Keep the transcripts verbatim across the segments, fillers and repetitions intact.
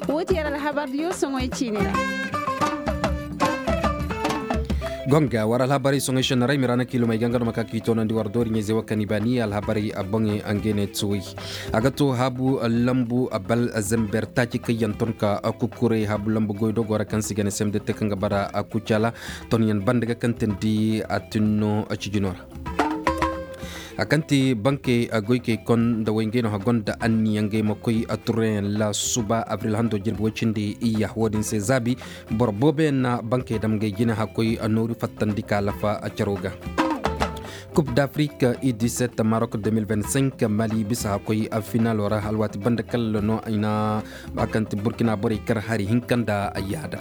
Woo ti yer alhabar diyo soŋoy ciini ra. Gonga war alhabarey soŋoy šennaray miraana kiilumey ga nga no ma ka k'i toonandi war doori ɲayzey wo kaŋ i baani alhabarey boŋey. Ngey ne tuwey a ga to haabu lambu bal zember taaci kaŋ yaŋ ton ka kukuray haabu lambu goydogoo ra kaŋ se i ga ne semde te kaŋ ga bara kucaala. Tonyaŋ banda ga kaŋ teendi a tinno cijinoo ra. A kaŋ ti bankey goykey konda way ngey no a gonda anniya ngey ma koy turreyaŋ la suba abril hando jirbi woy cindi iyya wo-din se zaabi. Boro booboyaŋ na bankey dam ngey jine hakkoy nooru fattandi ka lafa caro ga. Coupe d'afrique u dix-sept maroc deux mille vingt-cinq mali bisa hakkoy finalo ra alwaati banda kalla no i na a kaŋ ti burkina borey kar hari hinka nda yaada.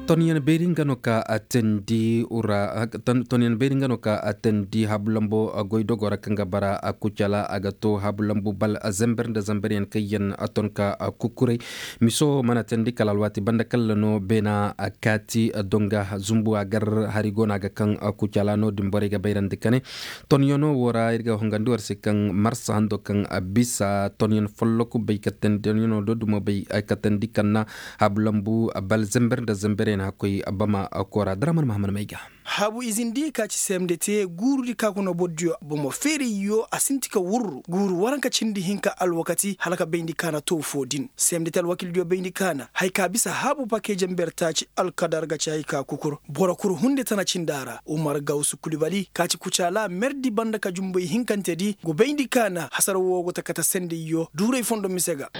Tonyaŋ beeri nga no ka a teendi ura tonyaŋ beeri nga no ka a teendi haabu lambo goy dogo ra kaŋ ga bara a kucala a ga to haabu lambu bal zember nda zemberyaŋ kaŋ yaŋ a ton ka a kukuray. Miso mana teendi kala alwaati banda kalla no beena a kaati donga zumbu a gar hari go no a ga kaŋ a kucala no-din borey ga bayrandi ka ne tonyaŋo wo ra ir ga hongandi war se kaŋ marsa hando kaŋ a bisa tonyaŋ folloku bay ka teendi tonyaŋo do dumo bay ka teendi kaŋ na haabu lambu bal zember nda zemberyaŋ hakkoy bama koora draman mahaman may ga. Haabu izindi ka ci semde te guurudi ka kuna bordiyo bomo feerayyo a sinti ka wurru guuru waranka cindi hinka alwakati hala ka bayndi kaana too foo din semde te alwakildiyo bayndi kaana haya ka bisa haabu pakeeje mber taaci alkadar ga ci haya ka kukur boro kul hunde tana cinda ra umar gawsu kulibali ka ci kucaala merdi banda ka jumbay hinkante di go bayndi kaana hasara woo go ta kate sendayyo duuray fondo mise ga.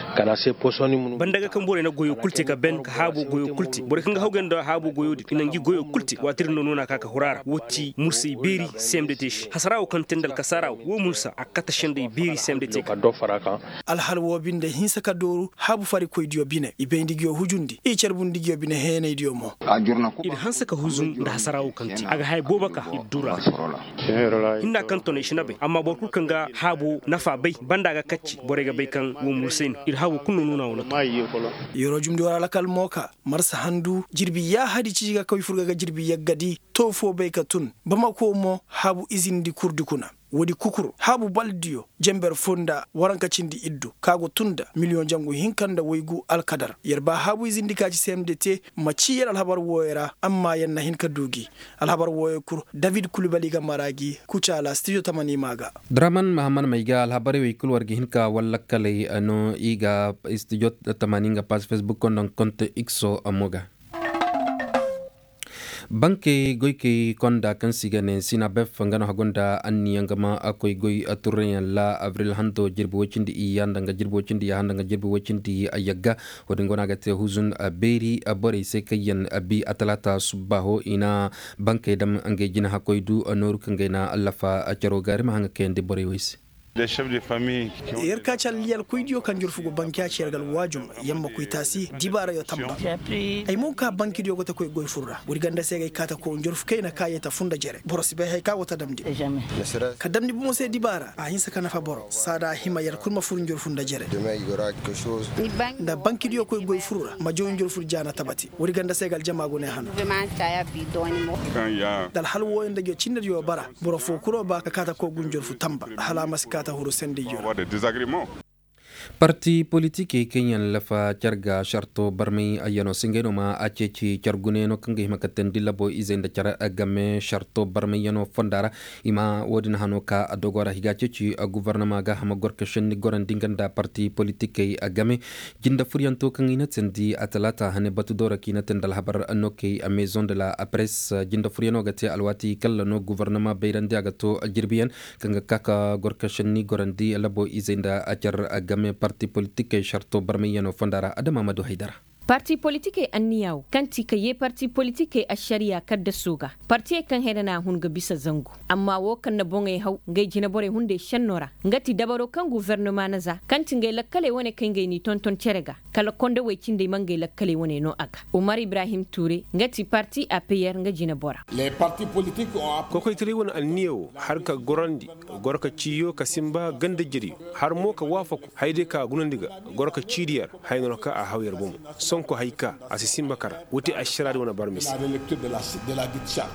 Banda ga kaŋ borey na goyo kul te ka ben ka haabo goyo kul te borey kaŋ ga hawgay nda haabo goyo din i na ngi goyo kul te waati din no noona ka ka hura ra woo ti mursay beeri semde te se hasara woo kaŋ te nda alkasaara woo woo mursa a kate sendey beeri semde te ka. Alhal woo binde hinsa ka dooru haabu farikoydiyo bine i bayndi ngiyo hujundi i carbundi ngiyo bine heenaydiyo mo. Ir hanse ka huzum nda hasara woo kaŋ te a ga haya boobo ka ir duu ra. Hinna kaŋ tono i si na bay amma boro kul kaŋ ga haabo nafa bay banda ga kacci borey ga bay kaŋ woo mursay no ir haabo kul no nuuna woo na to. Yeroo jumndi war alakal mo ka marsa handu jirbi yaahadi cici ga koy furga ga jirbi yaggadi too foo bay ka tun bamako mo haabu izindi kurdi kuna woodi kukur haabu baldiyo jenber foo nda waranka cindi iddu ka go tun nda miliyoŋ jangu hinka nda waygu alkadar yer ba haabu izindi ka ci semde te ma ci yer alhabar wooyo ra amma yer na hin ka duu gi alhabar wooyo kul david kulibali ga mara gi kucaala stijo tamani ma ga. Draman mahaman may ga alhabarey wey kul war ga hin ka wallakkaley no i ga stijo tamani nga pass facebook konda nga konte ikso mo ga. Bankey goykey konda kaŋ se i ga ne sinabef nga no hagu nda anniya nga ma koy goy turreyaŋ ra abril hanto jirbi woy cindi iyya nda nga jirbi woy cindi iyya nda nga jirbi woy cindi iyya ga. Wo-din go no a ga te huzun beeri borey se kaŋ yaŋ bi atalaata subbaaho i na bankey dam ngey jina hakkoy du nooru kaŋ ga ay na allafa caro ga iri ma haŋ ga kayandi borey wey se. Yer ka ci alliyalkoydiyo kaŋ jorfu go bankiya ci yer ga alwaajum yer ma koy taasi dibaarayo tamba. Ay mo ka bankidiyo go ta koy goy fur ra woodi ganda se ga ay ka ta koy njorfu kayna ka yee ta fur nda jere boro si bay haya ka go ta damndi. Ka damndi bomo se dibaara a hinsa ka nafa boro saada a hima yer kul ma fur njorfu nda jere. Nda bankidiyo koy goy fur ra ma jaw njorfu jaana tabati woodi ganda se ga aljama go ne hano. Nda alhal wooyo nda jo cinnediyo bara boro foo kul wo ba ka kaata koo gunjor fu tamba hala a ma si kaata huru sendayyo ra. Parti politikey kaŋ yaŋ lafa car ga sarto barmay ayyanoo se ngey no ma a ceeci car gunayaŋo kaŋ ga hima ka teendi labo izey nda car game sarto barmayyanoo fonda ra. I ma wo-din hano ka a dogo ra i ga a ceeci gufornama ga hama gor ka šenni gorandi nga nda parti politikey game. Jinde furyanto kaŋ i na teendi a talaata hane batu doora kaŋ i na teendi alhabar nokey a maison de la presse jinde furyanoo ga te alwaati kalla no gufornama bayrandi a ga to jirbiyaŋ kaŋ ga ka ka gor ka šenni gorandi labo izey nda a car game parti politikey sarto barmayyanoo fonda ra adama ma du haydara. Parti politikey anniya wo kaŋ ti ka yee parti politikey ašariya kaddasoo ga partiyey kaŋ hera na a hun ga bisa zangu amma wo kaŋ na boŋey haw ngey jineborey hunday šennoo ra nga ti dabaroo kaŋ gufornama na za kaŋ ti ngey lakkaley wane kaŋ ngey n'i tonton cere ga kala kondowey cindey ma ngey lakkaley wane no a ga umar ibrahim tuure nga ti parti apeyer nga jinebora. Kokoytaray wane anniya wo har ka gorandi goro ka ciiyo ka sinba ganda jeryo har mo ka waafaku haya day ka a gunandi ga goro ka ciidi yer haya no ra ka a haw yer bomo sonko haya ka a si sinba kara woo te ašaraadi wane barmay se.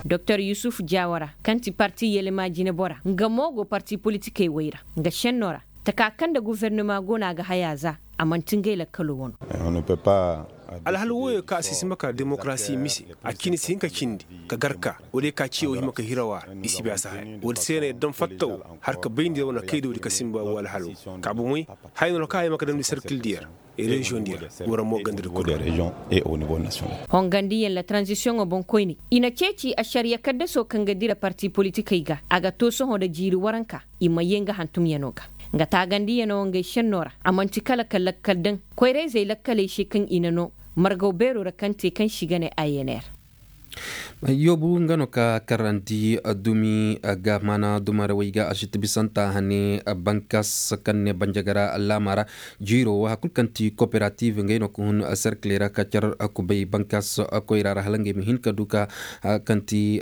Doktor yusuf jaawara kaŋ ti parti yelema jinebora nga mo go parti politikey wey ra nga šennoo ra taka kaŋ nda gufornama go no a ga haya za a man'ti ngey lakkaloo wano. Alhal wooyoo ka a si hima ka demokarasi mise, a cindi si hin ka cindi ka gar ka, wala ye ka ciyo hima ka hiraw a ra, i si bay a si haya. Woodi se no yer daŋ fatta woo, har ka bayndi yer wane kaydoodi ka sinba woo alhaloo. Ka bomey, haya no ra ka a hima ka damndi serkil diyo ra, reziyoŋ diyo ra, wala mo ganda di kul. Hongandiyaŋ la taranzisiyoŋo boŋkoyney, i na ceeci ašariya kaddasoo kaŋ ga dira parti politikey ga, a ga too sohõ nda jiiri waranka, i ma yee nga hantumyanoo ga. Nga taagandiyanoo ngey šennoo ra, a man'ti kala ka lakkal daŋ koyra-izey lakkaley se kaŋ i na noo margaw beeroo ra kaŋ te kaŋ se i ga ne a n r. Yoobu nga no ka karandi dumi ga maana dumarawey ga a si ti bisanta hane, bankas kaŋ ne banjagara laama ra. Jiiroo wo hari kul kaŋ ti kooperativ ngey no ka hun serkiley ra ka car kubay bankas koyra ra hala ngey ma hin ka du ka kaŋ ti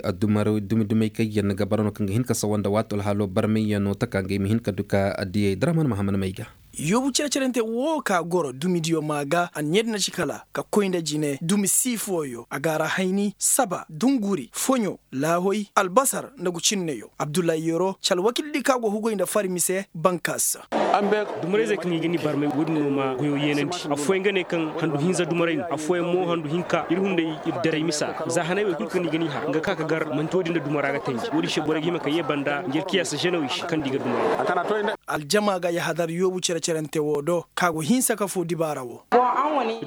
dumi dumey kaŋ yaŋ ga bara no kaŋ ga hin ka sawa nda waati alhaaloo barmayyanoo taka ngey ma hin ka du ka diyey draman mahaman may ga. Yoobu cere-cerante woo ka goro dumidiyo maa ga anniya di na ci kala ka koy nda jine dumi sii fooyo a ga a ra hayni saba dunguri foɲo laahoy albasar nda gucinneyoo abdullahi yero ci alwakil di ka go hugoy nda fari mise bankas. Dumarayzey kaŋ i ga ni barmay woodin no ma goyoo yeenandi. Affooyaŋ ga ne kaŋ handu hinza dumaray no affooyaŋ mo handu hinka ir hunday ir daray misa ra za hanay wey kul kaŋ i ga ni har nga ka ka gar manti woodin nda dumara ga tanji woodin se borey ga hima ka yee banda ngi alkiyaasa ženewey se kaŋ nda i ga dumaray. Aljama ga yahadar yoobu cere-cerante woo do ka go hinsa ka foo dibaara woo.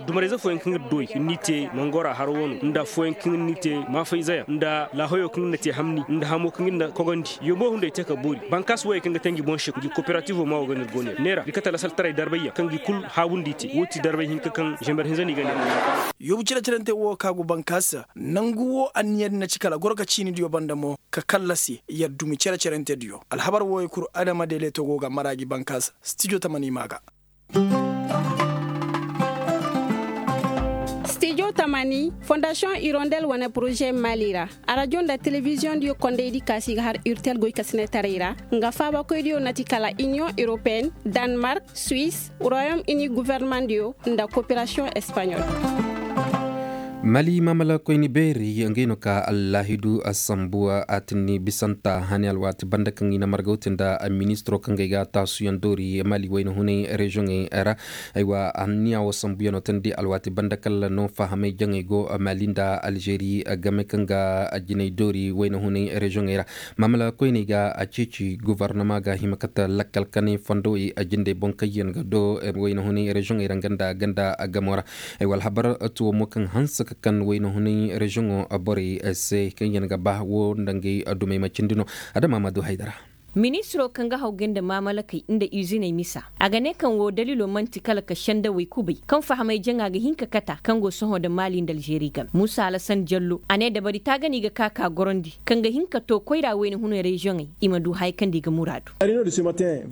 Dumarayze fooyaŋ kaŋ ir dooy ir n'i te mangora haro wano nda fooyaŋ kaŋ ir n'i te maafayzeyaŋ nda laahoyo kaŋ ir na te hamni nda hamo kaŋ ir na kogandi. Yoobo hunday te ka boori bankaas wooyey kaŋ ga te ngi boŋ se ngi koperativo maa wo ga no ir go neera neera ir kate lasaltaray darbayyaŋ kaŋ gi kul haabundi i te woo ti darbay hinka kaŋ zember hinza no i ga neera. Yoobu cere-cerante woo ka go bankaas nangu woo anniya di na ci kala goro ka ciinidiyo banda mo ka kallasi yer dumi cere-cerantediyo alhabar wooyey kul adama deeleto go ga mara gi bankaas. Stijo tamani maa ga. Stijo tamani fondasiyoŋ irondel wane poroze maali ra. Arajo nda telebiziyoŋ diyo kondaydi kaasi ga har urtel goykasinetaray ra nga faabakoydiyo na ti kala iniyoŋ europeen, danmark, suwis, royom ini governemandiyo nda koperasiyoŋ espaɲol. Mali maamalakoyni beeri ngey no ka allaahidu sambu a tinni bisanta hani alwaati banda kaŋ i na margawti nda ministiro kaŋ ga ay ga taasuyaŋ doori mali wayna hunay reziyoŋey ra. Aywa anniya wo sambuyaŋo tandi alwaati banda kala no fahamay jaŋey go mali nda alžeri game kaŋ ga jinay doori wayna hunay reziyoŋey ra. Maamalakoyney ga a ceeci gobornama ga hima kate lakkal kanay fondowey a jindey boŋ kaŋ yaŋ ga do wayna hunay reziyoŋey ra nga nda ganda gamo ra. Ay wala habar tuwo mo kaŋ hanse ka kan wayna hunay reziyoŋo borey se kaŋ yaŋ ga ba wo nda ngey dumey ma cindi no. Adama ma du haydara. Ministiro kaŋ ga hawgay nda maamalakey nda iziney misa a ga ne kaŋ woo daliloo man'ti kala ka sendawey kubay kaŋ fahamay jaŋa ga hin ka kata kaŋ go sohõ nda maali nda alžeri game muusa alasan jallo a ne dabari taagani ga ka ka gorandi kaŋ ga hin ka too koyra wayna hunay reziyoŋey i ma du haya kaŋ nda i ga muraadu.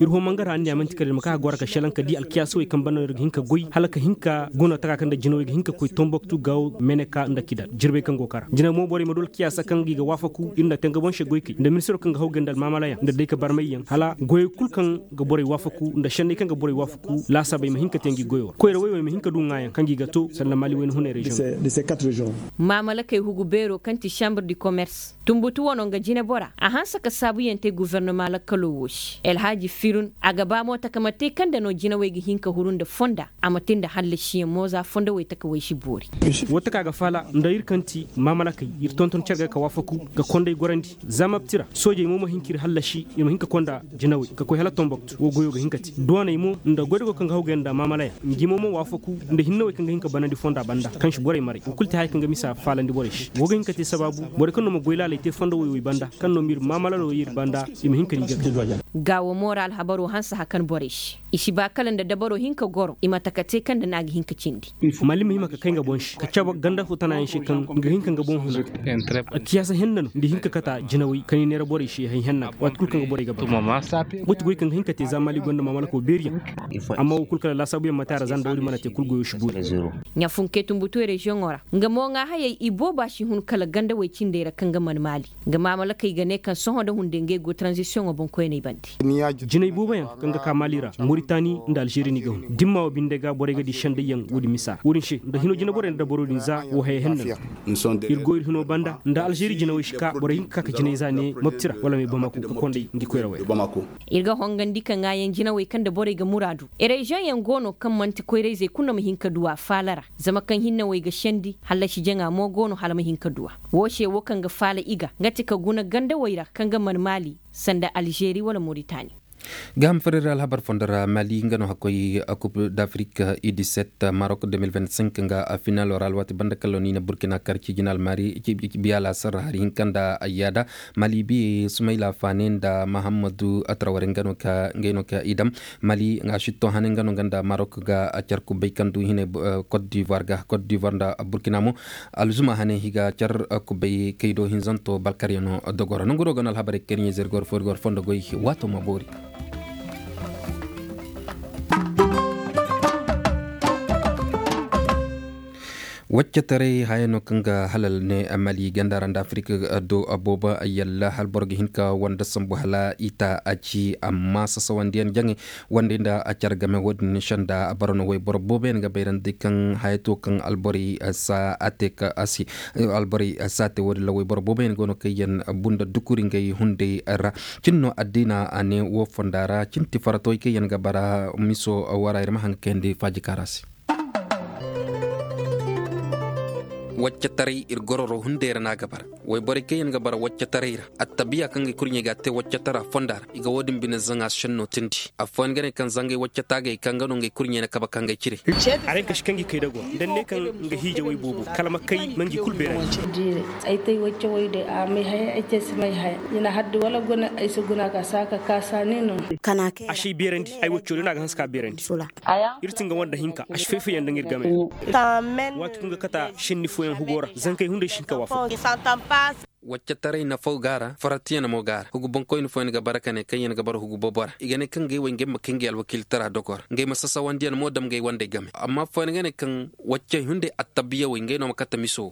Ir hoo mangara anniya man'ti kala ir ma ka ka goro ka šelaŋ ka di alkiyaasawey kaŋ banda no ir ga hin ka goy hala ka hin ka guna taka kaŋ nda jinawey ga hin ka koy tomboktu gaawo meneka nda kidal jirbey kaŋ go kara jinay mo borey ma du alkiyaasa kaŋ ga i ga waafaku ir nda te nga boŋ se goykey nda ministiro kaŋ ga hawgay nda almaamalayaŋ nda day ka barmayyaŋ hala goyey kul kaŋ ga borey waafaku nda šenney kaŋ ga borey waafaku laasaabey ma hin ka te ngi goyoo ra koyra woy wey ma hin ka du ŋaayaŋ kaŋ ga i ga too sanda maali wayna hunay reziyoŋ. Maamalakey hugu beeroo kaŋ ti šambur di komers tunbutu wano nga jinebora a hanse ka saabuyaŋ te gofornama lakkaloo woo se alhaaji firun a ga ba mo takama te kaŋ nda no jinawey ga hin ka huru nda fonda a ma te nda hallasiyaŋ mo za fondowey takawey si boori. Woo taka ga faala nda ir kaŋ ti maamalakey ir tonton cere ga ka waafaku ga konday gorandi za mapti ra soojey mo ma hin ka ir hallasi ir ma hin ka konda jinawey ka koy hala tomboktu woo goyoo ga hin ka te duwaney mo nda goydogo kaŋ ga hawgay nda maamalayaŋ ngi mo ma waafaku nda hinnawey kaŋ ga hin ka banandi fonda banda kaŋ si borey maray woo kul te haya kaŋ ga misa faalandi borey se woo ga hin ka te sabaabu borey kaŋ no ma goy laaley te fondowey wey banda kaŋ no ma ir maamalanoo ir banda i ma hin ka ni ga kay. Gaawo moora alhabaroo hanse hakan borey se i si ba kala nda dabaroo hin ka goro i ma taka te kaŋ nda no a ga hin ka cindi. Mallim ma hima ka kay nga boŋ se ka cabe ganda foo tanayaŋ se kaŋ nga hin ka nga boŋ huna. Alkiyaasa henna no nda hin ka kata jinawey kaŋ i neera borey se hay henna ga waati kul kaŋ ga borey ga ba. Woo ti goy kaŋ ga hin ka te za maali gonda maamalakoo beeriyaŋ. Amma woo kul kala laasaabuyaŋ ma te a ra za nda woodi mana te kul goyoo si boori. Ɲafunkey tunbutuwey reziyoŋoo ra nga mo ŋaahayey ibooba si hun kala gandawey cindey ra kaŋ ga man maali. Nga maamalakey ga ne kaŋ sohõ nda hunday ngey go taranzisiyoŋo boŋkoyney bande. Jinay booboyaŋ kaŋ ga ka maali ra moritani nda alžeri ni ga hun dimma wo binde ga borey ga di sendayyaŋ woodin misa ra woodin se nda hino jinaborey nda dabaroo din za woo haya henna no. Ir go ir hino banda nda alžeri jinawey si ka borey hin ka ka ka jinay za ne mapti ra wala me bamaku ka konday. Ir ga hongandi ka ŋaayaŋ jinawey kaŋ nda borey ga muraadu. Reziyoŋ yaŋ go no kaŋ man'ti koyra-izey kulu no ma hin ka du a faala ra. Zama kaŋ hinne wey ga sendi hallasi jaŋa mo go no hala ma hin ka du a. Wo se wo kaŋ ga faala i ga nga ti ka guna gandawey ra kaŋ ga man maali sanda alzeeri wala moritani. Gaaham farira alhabar fondo ra mali nga no hakkoy kup d'afrik, i diset marok deux mille vingt-cinq nga finalo ra alwaati banda kallon i na burkina kar cijinal mari. Biya laasar hari hinka nda ayyaada mali biye sumayla fane nda mahammadu atraware nga no ka i dam. Mali nga sitto hane nga no nga nda marok ga car kubbay kaŋ du hine. Cote d'ivoire ga cote d'ivoire nda burkina mo. Alzuma hane higa car kubbay kaydo hinzanto balkaryano dogoro nanguro ga no alhabarey kariɲe zirgor forigor fondo goy. Waato ma boori. Waccataray haya no kaŋ ga halal ne mali ganda ra nda afirika do boobo yalla hala boro ga hin ka wanda sambu hala i ta a ci amma sasawandiyaŋ jaŋay wanda nda a care game wo- din sanda boro no wayboro boobo yaŋ ga bayrandi kaŋ haya to kaŋ alborey sa a te ka a se. Alborey sa a te wo- din ra wayboro boobo yaŋ go no kaŋ yaŋ bunda dukuri ngey hunday ra. Cin no addiina a ne wo fonda ra cin ti faratawey kaŋ yaŋ ga bara miso wara ir ma haŋ ga kayandi faaji kaara se. Waccataray ir gororo hunday ra no a ga bara. Wayborey kaŋ yaŋ ga bara waccataray ra attabiya kaŋ ga kurɲey ga a te waccatara fonda ra i ga wo- din bine zaŋa senno tindi. Affooyaŋ ga ne kaŋ zangay waccata ga i kaŋ ga no ngey kurɲey na kabe kaŋ ga ay cire. Araŋ kasi kaŋ gi kay dago nda ne kaŋ nga hiijawey boobo kala ma kay ma ngi kulu beerandi. Ay te ay waccawey de a may haya ay te si may haya i na haddi wala guna ay si guna ka saaka kaasa ni no. A si ay beerandi ay wacco din a ga hanse ka beerandi. Ir ti nga wanda hinka a si fay-fayyaŋ nda nga ir game. Waati kulu nga kata senni fooyaŋ hugo ra zankey hunday si hin ka waafaku. Waccataray nafaw ga a ra faratiyaŋ mo ga a ra hugu bonkooyni fooyaŋ ga bara ka ne kaŋ yaŋ ga bara hugu bobo ra i ga ne kaŋ ngey wo ngey ma kay ngey alwakiiltara dogo ra ngey ma sasawandiyaŋ mo dam ngey wandey game amma fooyaŋ ga ne kaŋ waccey hunday attabiyawey ngey no ma kate miso wo.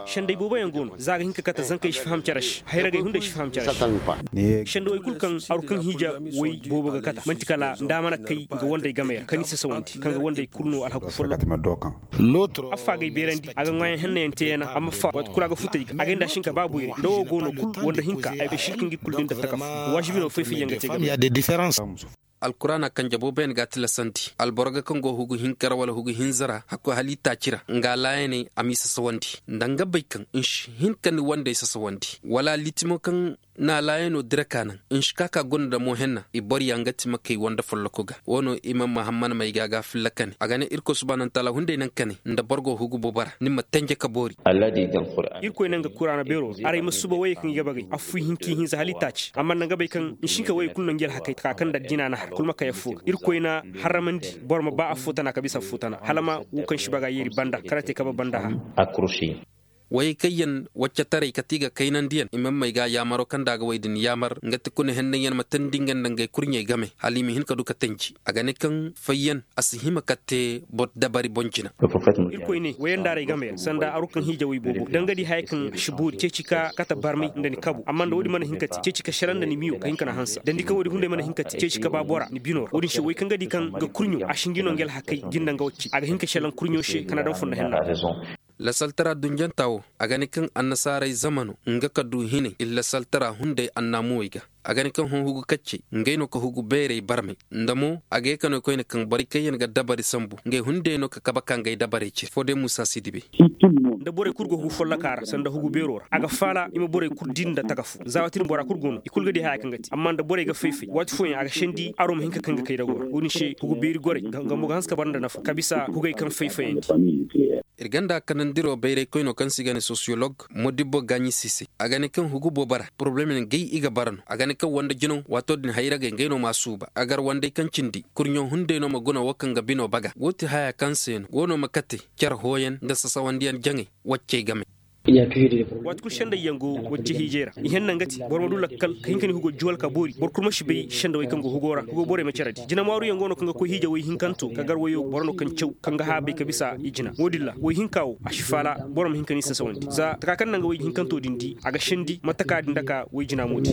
Senday booboyaŋ go no za a ga hin ka kate zankey si faham care se hayragey hunday si faham care se. Sendawey kulu kaŋ aru kaŋ hiija way boobo ga kata man'ti kala nda a mana kay nga wandey game ra kaŋ i sasawandi kaŋ ga wandey kulu no alhaku folloku. Affa g'ay beerandi a ga ŋwaayaŋ hennayaŋ teeyana amma fa waati kulu a ga futay ga a gay nda a si hin ka ba boyray nda wo go no kulu wanda hinka ay si hin ka ngi kulu din da taka fu. Waasibi no fay-fayyaŋ ga te game. Alkuraana kanje booboyaŋ ga a tilasandi alboro ga kaŋ go hugu hinka ra wala hugu hinza ra hakkoy hala i taaci ra nga laayaney a m'i sasawandi nda nga bay kaŋ nsi hin ka ni wandey sasawandi wala liiti mo kaŋ na laayanoo dira ka naŋ nsi ka ka guna nda mo henna i boro yaŋ ga ti ma kay wande folloko ga wo no i ma mahamman may ga a ga filla kane a ga ne irkoy subaanantaala hunday naŋ kane nda boro go hugu bobo ra ni ma tenje ka boori. Irkoy naŋ ga kuraana beeroo ra aray ma suba wayey kaŋ i ga bagay affuy hinka i hinza hala i taaci amma nda nga bay kaŋ nsi hin ka wayey kulu naŋ ngi alhakey taka kaŋ nda jina na har kulu ma kay affoo ga irkoy na harramandi boro ma ba affoo tana ka bisa affoo tana hala ma wo kaŋ si baga yeeri banda kala te kaba banda ha. Wayey kaŋ yaŋ waccataray kate i ga kaynandiyaŋ i ma may ga yaamaroo kaŋ nda a ga way din yaamar nga ti kuna hennanyaŋ ma teendi nga nda ngey kurɲey game hala i ma hin ka du ka tenji a ga ne kaŋ fayyaŋ a si hima ka te boro dabari boŋ jina. Irkoy ne wayandaaray game yaŋ sanda aru kaŋ hiijawey boobo da nga di haya kaŋ a si boori ceeci ka kate barmay nda ni kabu amma nda wo- din mana hin ka te ceeci ka selaŋ nda ni miyo ka hin ka na hanse dandi kaŋ wo- din hunday mana hin ka te ceeci ka ba bora ni bino ra wo- din se way kaŋ ga di kaŋ ga kurɲo a si ngi no nga alhakey jinda nga wacce a ga hin ka selaŋ kurɲo se ka na daŋ fondo henna. Lasaltara dunjantaa woo a ga ne kaŋ annasaaray zamano nga ka du hinay ir lasaltara hunday annaamuwey ga a ga ne kaŋ hõ hugu kaccey ngey no ka hugu beerey barmay nda mo a ga ye ka no koyne kaŋ borey kaŋ yaŋ ga dabari sambu ngey hunday no ka kabe ka ngey dabarey cire foo day muusa si dibe. Nda borey kul go hugu follokaa ra sanda hugu beeroo ra a ga faala i ma borey kul dii nda taka foo za waati din bora kul go no i kul ga dii haya kaŋ ga te amma nda borey ga fay-fay waati fooyaŋ a ga sendi aroo ma hin ka kaŋ ga kay dagoo ra wo- din se hugu beeri gorey nga mo ga hanse ka bara nda nafa ka bisa hugey kaŋ fay-fayandi. Ir ganda kanandiroo bayraykoynoo kaŋ se i ga ne sosiyolog modibbo gaaɲi si se a ga ne kaŋ hugu boobo ra poroblem yaŋ gay i ga bara no a ga ne kaŋ wande jinaw waatoo din hayragey ngey no m'a suuba a gar wandey kaŋ cindi kurɲoo hunday no ma guna woo kaŋ ga binoo baga woo ti hayaa kaŋ se no woo no ma kate car hooyan nda sasawandiyan jaŋay waccey game. Waati kul sendayyaŋ go wacce hiijay ra i henna nga ti boro ma du lakkal ka hin ka ni hugo juwal ka boori boro kul ma si bay sendawey kaŋ go hugo ra hugo borey ma care di jina maaruyaŋ go no kaŋ ga koy hiija woy hinkanto ka gar woyo boro no kaŋ caw kaŋ ga haabay ka bisa i jina wo- din ra woy hinka wo a si faala boro ma hin ka ni sasawandi za taka kaŋ naŋ ga woy hinkanto din di a ga sendi mate ka din daka woy jina mo di.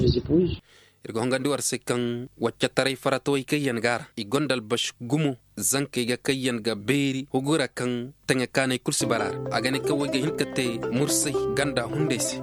Ir ga hongandi war se kaŋ waccataray faratawey kaŋ yaŋ ga a ra i gonda albasi gumo zankey ga kaŋ yaŋ ga beeri hugu ra kaŋ taŋe kaanay kul si bara a ra a ga ne kaŋ woy ga hin ka te mursay ganda hunday se.